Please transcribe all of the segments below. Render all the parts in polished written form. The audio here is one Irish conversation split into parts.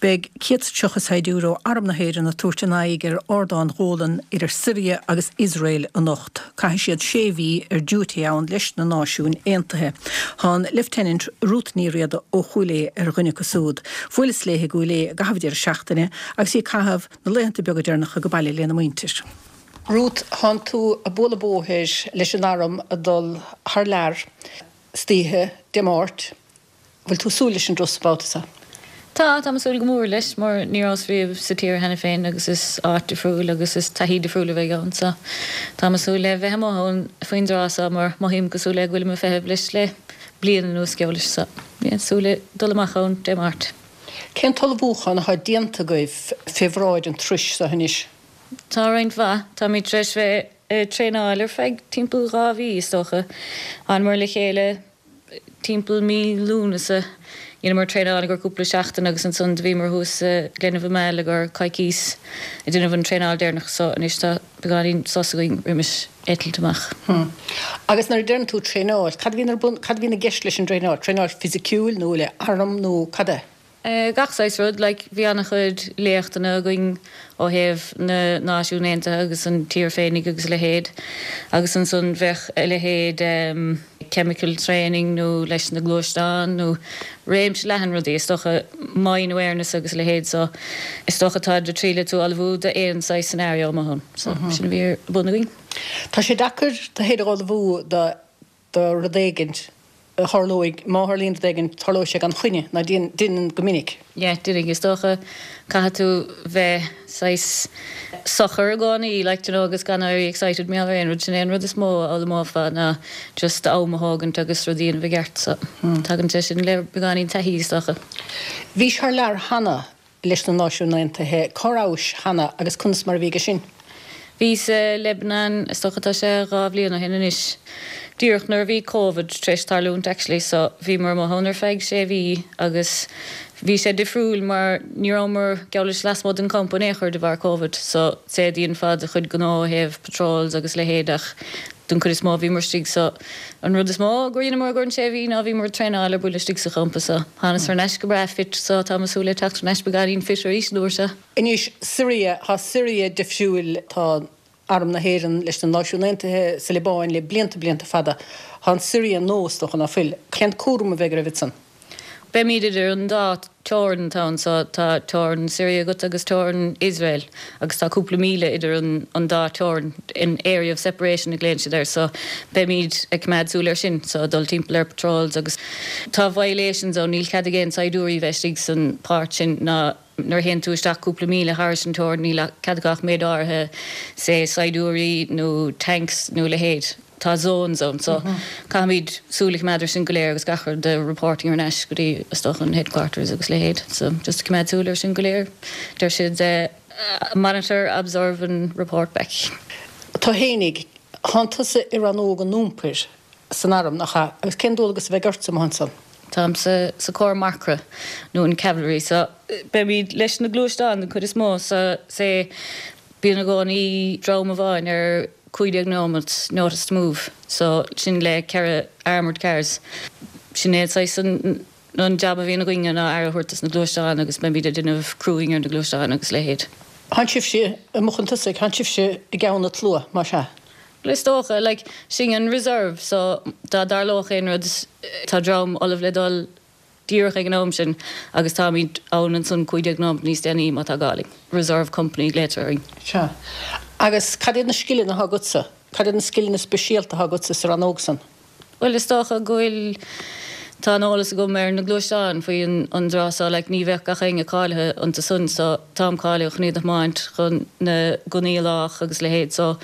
Beidh 130 saighdiúir ó Arm na hÉireann ag tabhairt a n-aghaidh ar Ardán Ghólan idir Siria agus Iosrael anocht. Caithfidh siad sé mhí ar diúité ann leis na Náisiúin Aontaithe. Tá an Lieutenant Ruth Ní Riada ó Chúil Aodha ar dhuine acu siúd. Bhuaileas léi i gCúil Aodha i gcaitheamh an deireadh seachtaine agus í ag caitheamh na laethanta beaga deireanacha go baile lena muintir. Ruth, Thánn tú ag bualadh bóthair leis an arm ag dul thar lear istoíche Dé Máirt. Bhfuil tú ag súil leis an dturas an babhta seo? Tá, táim ag súil go mór leis mar ní rabhas riamh sa tír cheana féin agus is áit difriúil agus is taithí difriúil a bheidh ann so táim ag súil le bheith amuigh ann faoin dtráth so mar mothaím cosúil le go bhfuilim ag feitheamh leis le bliain anuas geall leis so yeah súil le dul amach ann Dé Máirt. Cén t-ullmhúchán atá déanta agaibh fé bhráid an turais seo anois? Tá roinnt mhaith. Táimid tar éis bheith ag traenáil ar feadh timpeall 2 mhí is dócha. Thánamar le chéile Timpeall mí Lúnasa dheineamar traenáil i gcomhair cúpla seachtain agus ansan do bhíomar thuas sa Glen of Imaal i gcomhair coicís ag déanamh an traenáil deireanach so anois tá beagáinín sos againn roimis eitilt amach. Hm. Agus nuair a deireann tú traenáil, cad a bhíonn ar bun, cad a bhíonn i gceist leis an dtraenáil? Traenáil fisiciúil nó le arm nó cad é? Gach saghas rud, like, bhí an-chuid léachtanna againn ó thaobh na Náisiún Aontaithe agus an tír féinig agus a leithéid agus ansan bheadh a leithéid chemical training nó leis na gluaisteáin nó réimse leathan rudaí, is dócha mine awareness agus a leithéid so is dócha táid ag triail tú a ullmhú d'aon saghas scenario amuigh ann so sin a bhí ar bun againn. Tá sé deacair tú féin a ullmhú do do rud éigint a tharlóidh, má tharlaíonn rud éigin, tarlóidh sé gan choinne, ná deineann go minic. Yeah, deineann, is dócha, caithfidh tú bheith saghas socair i gcónaí, like, do you know, agus gan éirí excited mar gheall ar aon rud, sin é an rud is mó a fhoghlaimeofá ná just am a thógaint agus rudaí a dhéanamh i gceart, so tagann sé sin le beagáinín taithí, is dócha. Bhís thar lear cheana leis na Náisiúin Aontaithe. Cá rabhais cheana agus conas mar a bhí aige sin? Bhíos sa Lebanon, is dócha tá sé 2 bhliain ó shin anois, díreach nuair a bhí Covid tar éis tarlúint actually so bhíomar amuigh ann ar feadh sé mhí agus bhí sé difriúil mar ní rabhamar geall leis lasmuigh den campa in aon chor de bharr Covid so sea dhéanfá do chuid gnó ó thaobh patrols agus leithéid ach Don chuid is mó bhíomar istigh so an rud is mó gur dheineamar i gcomhair an sé mhí ná bhíomar ag traenáil ar buile istigh sa champa so thánas thar n-ais go breá fit so táim ag súil le teacht thar n-ais beagáinín fit arís an uair seo. Anois Siria, tá Siria difriúil, tá Arm na hÉireann leis na Náisiúin Aontaithe sa Liobáin le blianta blianta fada. Tá an Siria nua is dócha ná fuil. Cén cúram a bheidh oraibh ansan? Beimid idir an dá teorainn atá ann so tá teorainn Syria agat agus teorainn Iosrael agus tá cúpla míle idir an dá teorainn, an area of separation a ghlaonn siad air so beimid ag coimeád súil air sin so ag dul timpeall ar patrols agus tá violations ann níl cead ag aon saighdiúirí bheith istigh san páirt sin ná nuair a théann tú isteach cúpla míle thairis an teorainn níl cead acu ach méid áirithe say saighdiúirí nó tanks nó a leithéid. Tá zones ann so caithfimid súil a choimeád ar sin go léir agus gach rud de reporting thar n-ais go dtí is dócha an headquarters agus leithéid so just coimeád súil ar sin go léir. Deir siad monitor, observe and report back. Tú fhéinig, thánn tusa i rannóg an iompair san arm, nach ea? Agus cén dualgas a bheidh ortsa amuigh ansan? Táim sa sa cór marcra nó an cavalry so beimid leis na gluaisteáin den chuid is mó so say bíonn i gcónaí dream amháin ar 15 nóimeat notice to move so sin le 4 armoured cars. Sin é saghas an an jab a bhíonn againne ná aire a thabhairt dos na gluaisteáin agus beimid ag déanamh crewing ar na gluaisteáin agus leithéid. Thánn sibhse amuigh chun tosaigh, thánn sibhse i gceann an tslua, más ea? Bhuel is dócha, like, sinn an reserve so dá dtarlódh aon rud tá dream ullamh le dul díreach ag an am sin agus táimid ann ansan 15 nóimeat níos déanaí má tá gá linn. Reserve Company a ghlaotar orainn. Sea. Agus cad iad na scileanna atá agatsa? Cad iad na scileanna speisialta atá agatsa sa rannóg san? Bhuel is dócha go bhfuil, tá an eolas agam ar na gluaisteáin faoi an dtráth so like ní bheadh gach éinne cáilithe iontu san so táim cáilithe chun iad a thiomáint, chun na gunnaí a lách agus leithéid so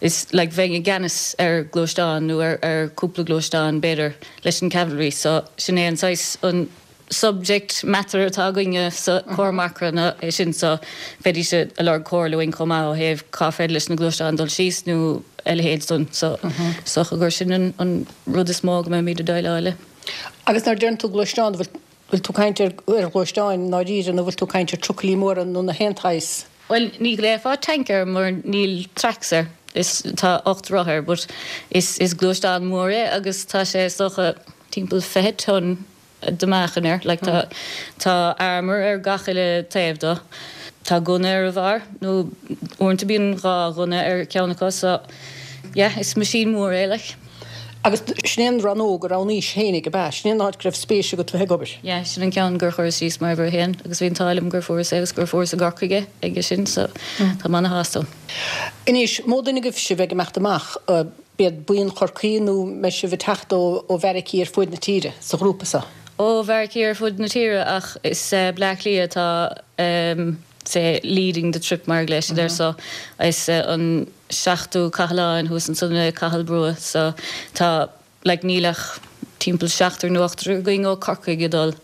is like bheinn i gceannas ar gluaisteán nó ar ar cúpla gluaisteán b'fhéidir. leis an cavalry so sin é an saghas an subject matter atá againne sa cór marcra ná é sin so bheidís ag lorg comhairle uainn chomh maith ó thaobh cá féidir leis na gluaisteáin dul síos nó a leithéid san so is dócha gur sin an an rud is mó go mbeimid ag déileáil le. Agus nuair a deireann tú gluaisteán bhfuil bhfuil tú ag caint ar ar ghluaisteáin i ndáiríre nó bhfuil tú ag caint ar trucailí móra nó na haon tsaghas? Bhuel ní ghlaofá tank air mar níl tracks air, is tá 8 roth air but is is gluaisteán mór é agus tá sé is dócha timpeall 20 ton. de meáchan air. Like tá tá armour ar gach uile taobh dó. Tá gunna ar a bharr, nó uaireanta bíonn 2 ghunna ar ceann acu so yeah is machine mór é like. Agus sin é an rannóg a roghnaís fhéinig, ab ea? Sin é an áit go raibh spéis agat bheith ag obair? Yeah, sin an ceann gur chuireas síos mar uimhir a haon agus bhí an t-ádh liom gur fuaireas é agus gur fuaireas i gCorcaigh é aige sin so tá mé ana-shásta ann. Anois, mó duine agaibh sibh ag imeacht amach, b'iad buíon Chorcaí nó mbeidh sibh ag teacht ó bheairicí ar fuaid na tíre sa ghrúpa so? Ó bheairicí ar fud na tíre ach is Bleá Cliath atá say leading the trip mar a ghlaoigh siad air so is an seachtú Cathlán thuas ansan i Cathal Brugha so tá like níl ach timpeall seachtar nó ochtar againn ó Corcaigh ag dul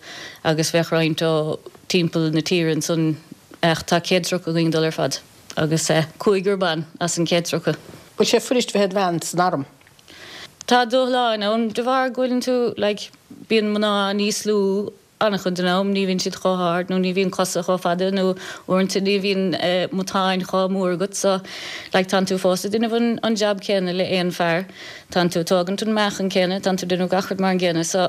agus bheadh roinnt ó timpeall na tíre ansan ach tá 130 againn ag dul ar fad agus cúigear ban as an 130. Bhfuil sé fuirist bheith id bhean san arm? Tá dúshláin ann de bharr go bhfuileann tú like bíonn mná níos lú An-chuid den am ní bhíonn siad chomh hard nó ní bhíonn cosa chomh fada nó uaireanta ní bhíonn matáin chomh mór agat so like tánn tú fós ag déanamh an an jab céanna le aon fear, tánn tú ag tógaint an meáchan céanna, tánn tú ag déanamh gach rud mar an gcéanna so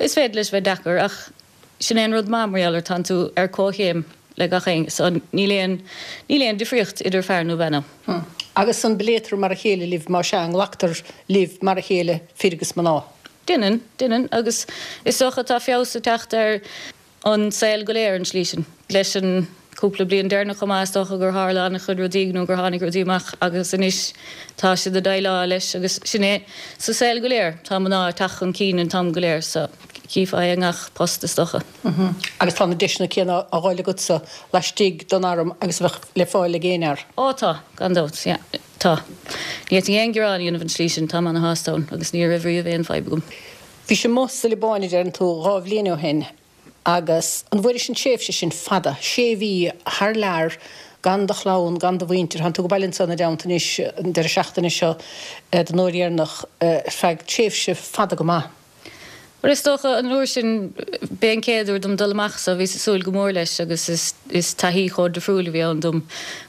is féidir leis bheith deacair ach sin é an rud maith mar gheall air tánn tú ar comhchéim le gach éinne so níl aon níl aon difríocht idir fear nó bean ann. Agus an bpléitear mar a chéile libh más ea, an nglactar libh mar a chéile fir agus mná? Deineann, deineann, agus is dócha tá feabhas ag teacht ar an saol go léir an tslí sin. Leis an cúpla bliain deireanach chomh maith is dócha gur tharla an-chuid rudaí nó gur tháinig rudaí amach agus anois tá siad ag déileáil leis agus sin é sa saol go léir, tá mná ag teacht chun cinn an t-am go léir so chífeá é i ngach post is dócha. Agus tá na deiseanna céanna á dh'fháil agatsa laistigh den arm agus a bheadh le fáil ag aon fhear? Ó tá, gan dabht, yeah. Tá. Ní fhéadfainn aon ghearán a dhéanamh an tslí sin, táim ana-shásta ann agus ní raibh riamh aon fadhb agam. Bhís amuigh sa Liobáin, a deireann tú, 2 bhliain ó shin agus an bhfuairis an tréimhse sin fada, sé mhí thar lear gan do chlann, gan do mhuintir, thánn tú ag baile anso ina dteannta anois an deireadh seachtaine seo don uair dheireanach ar feadh tréimhse fada go maith. Bhuel, is dócha, an uair sin, b'é an chéad uair dom dul amach so bhíos ag súil go mór leis agus is is taithí chomh difriúil a bhí ann dom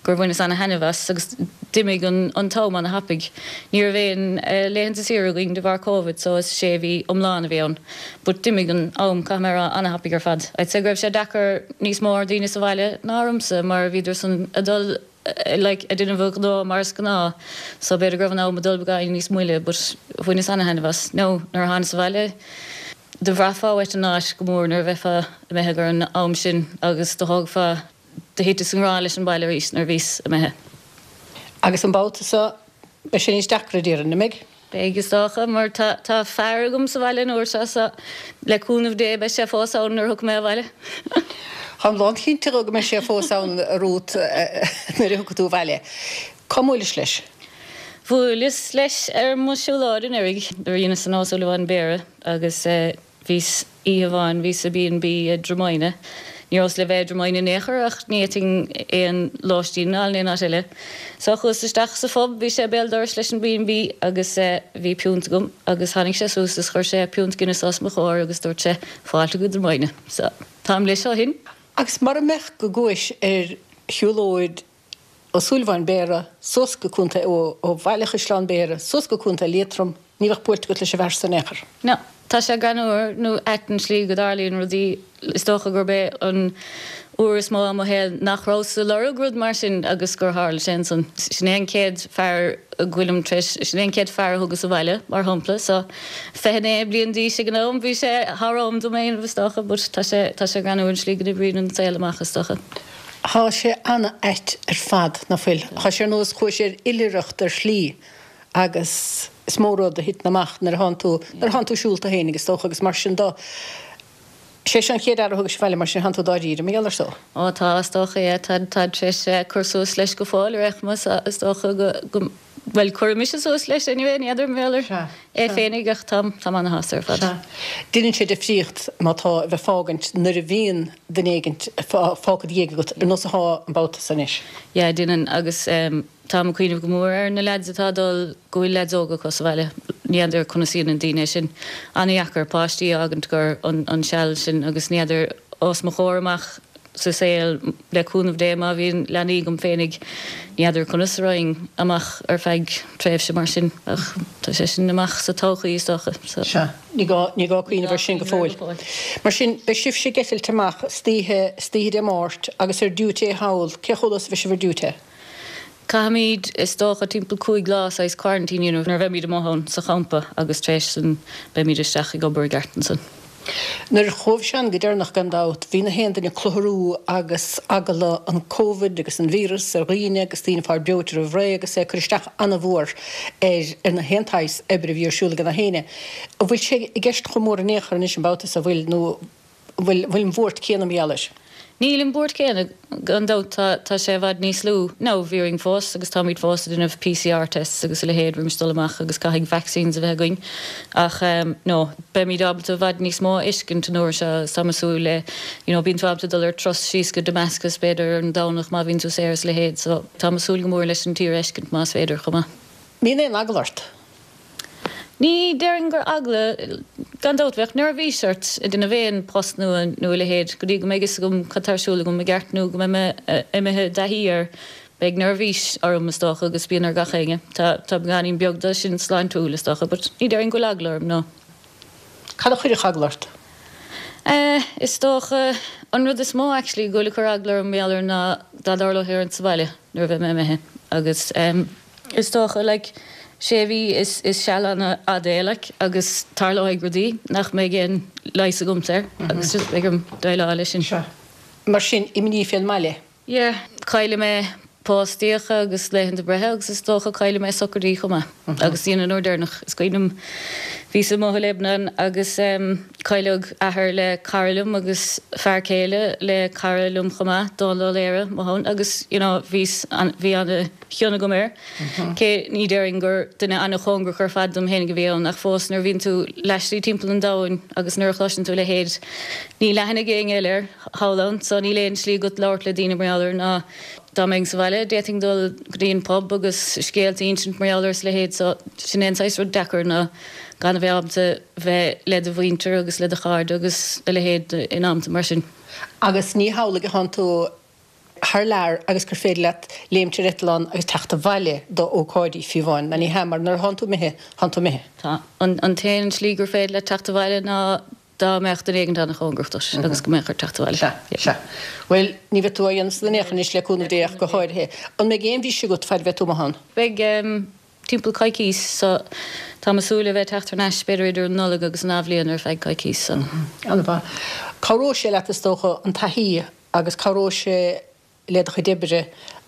gur bhaineas ana-thaitneamh as agus d'imigh an an t-am ana-thapaidh. Ní raibh aon laethanta saoire againn de bharr Covid so is sé mhí iomlán a bhí ann but d'imigh an am, caithfidh mé a rá, ana-thapaidh ar fad. I'd say go raibh sé deacair níos mó ar daoine sa bhaile ná ormsa mar bhíodar san ag dul like ag déanamh a ngnó mar is gnáth so b'fhéidir go raibh an am ag dul beagáinín níos moille but bhaineas ana-thaitneamh as. Now nuair a thánas abhaile do bhraithfeá uait an áit go mór nuair a bheifeá imithe thar an am sin agus do thógfá, do thiteas i ngrá leis an baile arís nuair a bhíos imithe. Agus an babhta seo beidh sé níos deacra déarfainn, an mbeidh? Beidh, is dócha, mar tá tá fear agam sa bhaile an uair seo so le cúnamh Dé beidh sé fós ann nuair a thiocfaidh mé abhaile. Táim lánchinnte go mbeidh sé fós ann, a Ruth, nuair a thiocfaidh tú abhaile. Cá mbuailis leis? Bhuaileas leis ar mo siúlóid anuraidh nuair a dheineas an Ó Súilleabháin Béarra agus Bhíos oíche amháin, bhíos i B&B i dTromina. Ní rabhas le bheith i dTromina in aon chor ach ní fhéadfainn aon lóistín a fháil in aon áit eile. So chuas isteach sa phub, bhí sé béal dorais leis an B&B agus bhí piúnt agam agus tháinig sé suas is chuir sé piúnt Guinness os mo chomhair agus dúirt sé fáilte go Dromina. So táim leis ó shin. Agus mura mbeadh go gcuais ar shiúlóid Ó Súilleabháin Béarra suas go Contae, ó ó Bhaile Chaisleáin Béarra suas go Contae Liatroim, ní bheadh buailte agat leis an bhfear san in aon chor. No. Tá sé greannmhar nó ait an tslí go dtarlaíonn rudaí. Is dócha gurb é an uair is mó i mo shaol nach rabhas ag lorg rud mar sin agus gur tharla sé ansan. Sin é an chéad fear go bhfuilim tar éis, sin é an chéad fear a thugas abhaile, mar shampla. So, 29 bliain d'aois ag an am, bhí sé thar am dom é a dhéanamh is dócha, but tá sé, tá sé greannmhar an tslí go n-oibríonn an saol amach is dócha. Thá sé ana-ait ar fad, ná fuil? Thá sé ar nós chuais ar oilithreacht ar shlí agus is mó rud a thiteann amach nuair a thánn tú, nuair a thánn tú siúlta fhéinig is dócha agus mar sin do. Sé seo an chéad fhear a thugais abhaile mar sin thánn tú dáiríre mar gheall air so. Ó tá, is dócha, yeah, tá, táid tar éis cur suas leis go fóill ar aon chuma so is dócha go, go, Bhuel, cuireann mise suas leis anyway, ní fheadar mar gheall air é féinig ach táim, táim ana-shásta ar fad. Sea. Deineann sé difríocht má tá a bheith fágaint nuair a bhíonn duine éigint fágtha i do dhiaidh agat, ar nós athá an babhta so anois. Yeah, deineann agus táim ag cuimhneamh go mór ar na leaids atá ag dul, go bhfuil leaids óga acu sa bhaile. Ní fheadar conas a dhéanann daoine é sin. Ana-dheacair páistí a fhágaint gur an, an seal sin agus ní fheadar os mo chomhair amach. sa saol, le cúnamh Dé, má bhíonn leanaí agam féinig, ní fheadar conas a raghainn amach ar feadh tréimhse mar sin, ach tá sé sin amach sa todhchaí, is dócha. So. Sea, ní gá, ní gá cuimhneamh air sin go fóill. Mar sin, beidh sibhse ag eitilt amach istoíche, istoíche Dé Máirt agus ar diúité thall, cé chomh luath is a bheidh sibh ar diúité? Caithfimid, is dócha, timpeall 5 lá saghas quarantine a dhéanamh nuair a bheimid amuigh ann sa champa agus tar éis san beimid isteach ag obair i gceart ansan. Nuair a chuabhais ann go deireanach gan dabht bhí na haon duine ag clutharú agus eagla an Covid agus an víreas ar dhaoine agus daoine ag fáil breoite roimh ré agus é ag cur isteach ana-mhór ar ar na haon tsaghas oibre a bhí ar siúl ag na héinne. An bhfuil sé i gceist chomh mór in aon chor anois an babhta so, an bhfuil nó An bhfuil an bhuairt céanna mar gheall air? Níl an bhuairt céanna, gan dabht. Tá, tá sé i bhfad níos lú. Now, bhí orainn fós agus táimid fós ag déanamh PCR tests agus a leithéid roimis dul amach agus caithfidh vaccines a bheith againn. Ach ehm, no, beimid ábalta i bhfad níos mó a fheiscint an uair seo agus táim ag súil le, you know, bíonn tú ábalta dul ar turas síos go Damascus b'fhéidir ar an Domhnach má bhíonn tú saor is a leithéid. So, táim ag súil go mór leis an tír a fheiscint más féidir chomh maith. Mbíonn aon eagla ort? Ní déarfainn gur eagla, gan dabht bheadh neirbhís ort ag déanamh aon post nua nó a leithéid go dtí go mbeidh fhios agam cad tá ar siúl agam i gceart nó go mbeidh mé imithe i dtaithí air. Beidh neirbhís orm is dócha agus bíonn ar gach éinne. Tá tá beagáinín beag de sin sláintiúil is dócha but ní déarfainn go bhfuil eagla orm, no. Cad a chuirfeadh eagla ort? Eh, is dócha an rud is mó actually go bhfuil ag cur eagla orm mar gheall air ná dá dtarlódh sé orm sa bhaile nuair a bheidh mé imithe agus em, Is dócha, like, sé mhí is is seal an-fhada é, like, agus tarlóidh rudaí nach mbeidh aon leigheas agamsa air agus just beidh orm déileáil leis sin. Sea. Mar sin, imní fén mbaile? Yeah. Caillfidh mé póstaíocha agus laethanta breithe agus is dócha caillfidh mé socraidí chomh maith. Agus you know, an uair deireanach, is cuimhin liom, bhíos amuigh i Lebanon agus em cailleadh athair le cara liom agus fear céile le cara liom chomh maith, Dónal Ó Laoire, mo thonn, agus you know bhíos an, bhí ana, chion agam air. Cé ní déarfainn gur duine an-chóngarach ar fad dom fhéinig a bhí ann, ach fós nuair a bhíonn tú laistigh timpeall an domhain agus nuair a chloiseann tú a leithéid, níl aithne ag éinne eile air thall ann, so níl aon slí agat labhairt le daoine mar gheall air ná dá mbeinn sa bhaile d'fhéadfainn dul go dtí an pub agus scéalta a insint mar gheall air is a leithéid, so sin é an saghas rud deacair ná gan a bheith ábalta bheith le do mhuintir agus le do chairde agus a leithéid in amanta mar sin. Agus ní hamhlaidh atánn tú thar lear agus gur féidir leat léimt ar eitleán agus teacht abhaile do ócáidí, fiú amháin, ná ní hea, mar nuair atánn tú imithe, tánn tú imithe. Tá. An t-aon slí gur féidir leat teacht abhaile ná dá mbeadh duine éigint an-chóngarach duit agus go mbeadh ort teacht abhaile. Sea, sea. Bhuel, ní bheidh tú á dhéanamh san in aon chor anois, le cúnamh Dé, ach go háirithe. An mbeidh aon bhriseadh agat fad a bheidh tú amuigh ann? Beidh. Timpeall coicís so táim ag súil le bheith ag teacht thar n-ais b'fhéidir idir an Nollaig agus an Athbhliain ar feadh coicís so. An-mhaith. Cabhróidh sé leat is dócha an taithí agus cabhróidh sé le do chuid oibre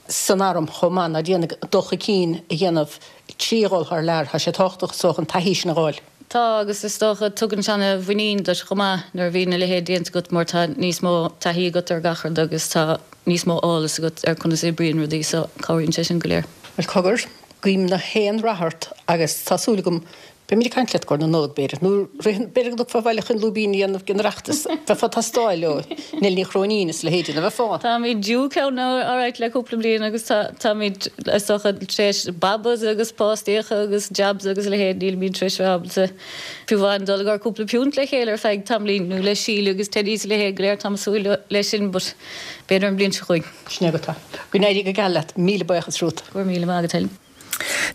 san arm chomh maith, ná déanfaidh dul chun cinn a dhéanamh trí dhul thar lear. Tá sé tábhachtach is dócha an taithí sin a dh'fháil. Tá, agus is dócha tugann sé ana-mhuinín duit chomh maith nuair a bhíonn a leithéid déanta agat mar tá níos mó taithí agat ar gach rud agus tá níos mó eolas agat ar conas a oibríonn rudaí so cabhraíonn sé sin go léir. Bhuel cogar, guím na haon rath ort agus tá súil agam Beimid ag caint leat i gcomhair na Nollag, b'fhéidir, nó b'fhéidir go dtiocfá abhaile chun lúibín a dhéanamh den Oireachtas. Bheifeá ag teastáil ó Neil Ní Chróinín is a leithéidí, nach mbeifeá? Táimid due ceann alright le cúpla bliain agus tá, táimid, is dócha, tar éis babas agus póstaíocha agus jobs agus a leithéid, nílimid tar éis bheith ábalta fiú amháin dul i gcomhair cúpla piúnt le chéile ar feadh tamaillín, nó le Síle agus Teddy is a leithéid go léir, táim ag súil leis sin but b'fhéidir an bhliain seo chugainn. Sin é agat é. Go n-éirí go geal leat. Míle buíochas Ruth. Go raibh míle maith agat Helen.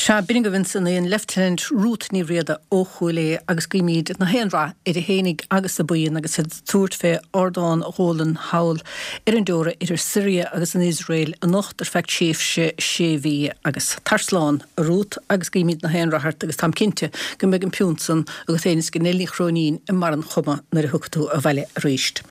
Sea, b'in agaibh ansan í, an Leifteanant Ruth Ní Riada ó Chúil Aodha agus guímid na haon rath uirthi fhéinig agus a buíon agus iad ag tabhairt fé Ardán Ghólan thall ar an dteora idir Siria agus an Iosrael anocht ar feadh tréimhse sé mhí. Agus tar slán, a Ruth, agus guímid na haon rath ort agus táim cinnte go mbeidh an piúnt san agat féin is ag Neil Ní Chróinín i mbarr an chuma nuair a thiocfaidh tú abhaile aríst.